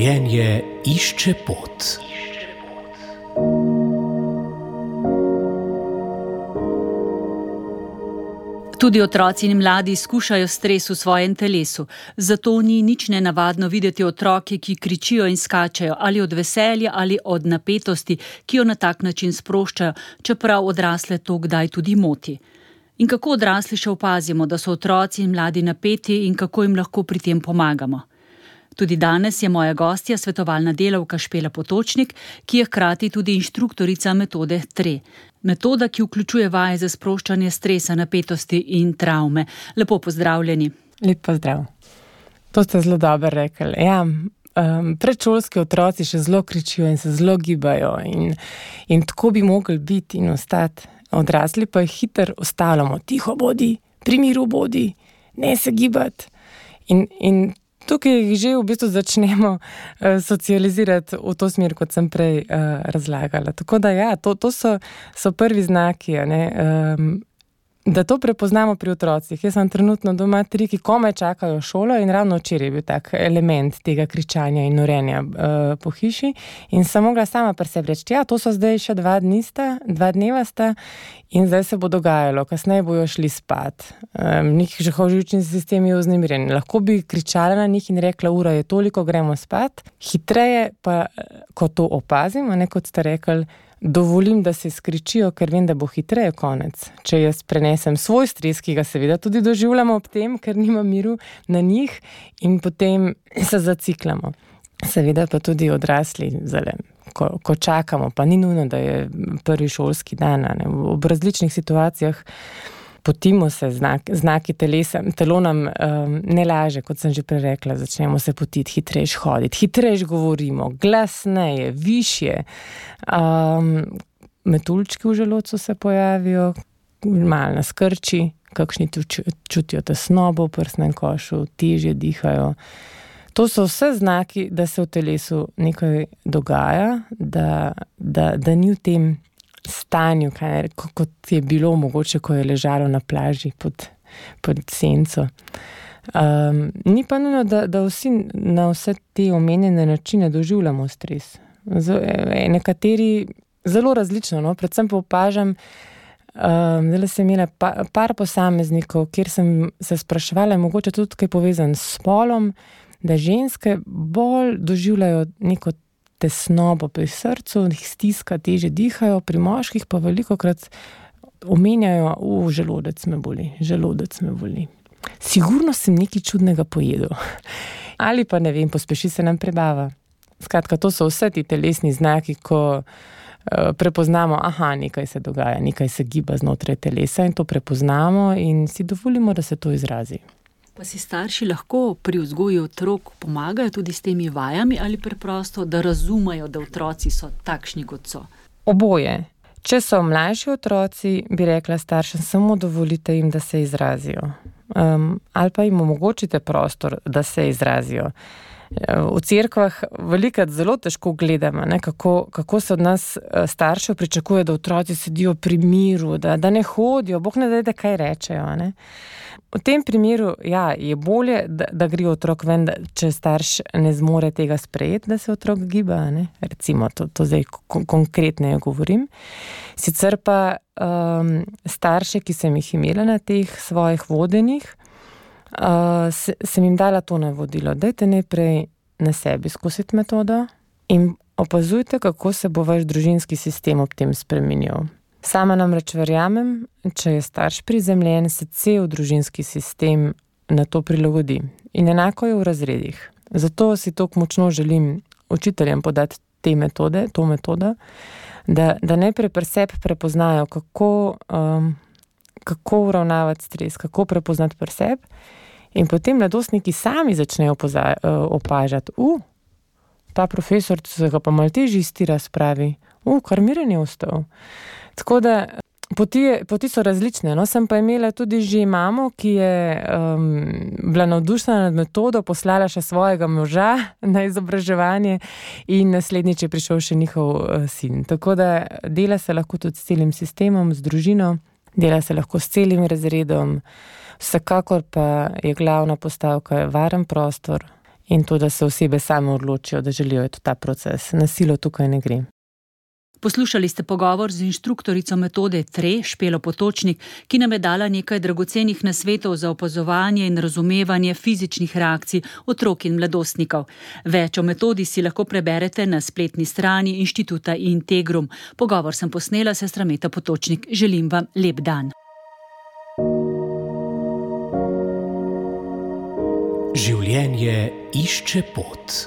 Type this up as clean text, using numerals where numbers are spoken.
Življenje išče pot. Tudi otroci in mladi skušajo stres v svojem telesu. Zato ni nič nenavadno videti otroke, ki kričijo in skačejo, ali od veselja ali od napetosti, ki jo na tak način sproščajo, čeprav odrasle to kdaj tudi moti. In kako odrasli še opazimo, da so otroci in mladi napeti in kako jim lahko pri tem pomagamo? Tudi danes je moja gostja svetovalna delavka Špela Potočnik, ki je hkrati tudi inštruktorica metode TRE. Metoda, ki vključuje vaje za sproščanje stresa, napetosti in travme. Lepo pozdravljeni. Lep pozdrav. To ste zelo dobro rekli. Ja, predšolski otroci še zelo kričijo in se zelo gibajo in tako bi mogli biti in ostati. Odrasli pa jih hitro ostavljamo. Tiho bodi, pri miru bodi, ne se gibati. In tukaj jih že v bistvu začnemo socializirati v to smer, kot sem prej razlagala. Tako da ja, to so prvi znaki, ne, da to prepoznamo pri otrocih. Jaz sem trenutno doma 3, ki komaj čakajo šolo in ravno včeraj je bil tak element tega kričanja in norenja po hiši in sem mogla sama pri sebi reči, ja, to so zdaj še 2 dneva sta in zdaj se bo dogajalo, kasneje bojo šli spat. Njih živčni sistem je vznemirjen. Lahko bi kričala na njih in rekla, ura je toliko, gremo spat. Hitreje pa, ko to opazim, ne, kot ste rekli, dovolim, da se skričijo, ker vem, da bo hitreje konec. Če jaz prenesem svoj stres, ki ga seveda tudi doživljamo ob tem, ker nima miru na njih in potem se zaciklamo. Seveda pa tudi odrasli, ko čakamo, pa ni nujno, da je prvi šolski dan, ne, v različnih situacijah potimo se, znaki telesa, telo nam ne laže, kot sem že prej rekla, začnemo se potiti, hitrejš hoditi, hitrejš govorimo, glasneje, višje. Metuljčki v želodcu se pojavijo, malo nas krči, kakšni čutijo tesnobo v prsnem košu, težje dihajo. To so vse znaki, da se v telesu nekaj dogaja, da ni v tem stanju, kot je bilo mogoče, ko je ležalo na plaži pod senco. Ni pa nujno, da vsi na vse te omenjene načine doživljamo stres. Nekateri zelo različno, no? Predvsem pa opažam, zdaj sem imela par posameznikov, kjer sem se spraševala, mogoče tudi kaj povezan s spolom, da ženske bolj doživljajo neko tesnobo pri srcu, jih stiska, teže dihajo, pri moških pa velikokrat omenjajo, želodec me boli. Sigurno sem nekaj čudnega pojedel. Ali pa ne vem, pospeši se nam prebava. Skratka, to so vse ti telesni znaki, ko prepoznamo, nekaj se dogaja, nekaj se giba znotraj telesa in to prepoznamo in si dovolimo, da se to izrazi. Pa si starši lahko pri vzgoji otrok pomagajo tudi s temi vajami ali preprosto, da razumejo, da otroci so takšni, kot so? Oboje. Če so mlajši otroci, bi rekla staršem, samo dovolite jim, da se izrazijo. Ali pa jim omogočite prostor, da se izrazijo. V cerkvah velikokrat zelo težko gledamo, ne, kako se od nas staršev pričakuje, da otroci sedijo pri miru, da ne hodijo, Bog ne daj, da kaj rečejo. Ne. V tem primeru, ja, je bolje, da gre otrok ven, če starš ne zmore tega sprejeti, da se otrok giba, ne. Recimo, to zdaj konkretneje govorim. Sicer pa starše, ki sem jih imela na teh svojih vodenjih, sem jim dala to navodilo. Dajte najprej na sebi skusiti metodo in opazujte, kako se bo vaš družinski sistem ob tem spremenil. Sama namreč verjamem, če je starš prizemljen, se cel družinski sistem na to prilagodi. In enako je v razredih. Zato si tako močno želim učiteljem podati to metodo, da najprej pri sebi prepoznajo, kako uravnavati stres, kako prepoznati pri sebi in potem mladostniki sami začnejo opažati, ta profesor se ga pa malo težje iz tira spravi, kar miren je ostal. Tako da poti so različne, no, sem pa imela tudi že mamo, ki je bila navdušena nad metodo, poslala še svojega moža na izobraževanje in naslednjič je prišel še njihov sin. Tako da dela se lahko tudi s celim sistemom, z družino, dela se lahko s celim razredom, vsekakor pa je glavna postavka varen prostor in to, da se osebe same odločijo, da želijo iti v ta proces. Nasilo tukaj ne gre. Poslušali ste pogovor z inštruktorico metode TRE, Špelo Potočnik, ki nam je dala nekaj dragocenih nasvetov za opazovanje in razumevanje fizičnih reakcij otrok in mladostnikov. Več o metodi si lahko preberete na spletni strani Inštituta Integrum. Pogovor sem posnela, sestra Meta Potočnik. Želim vam lep dan. Življenje išče pot.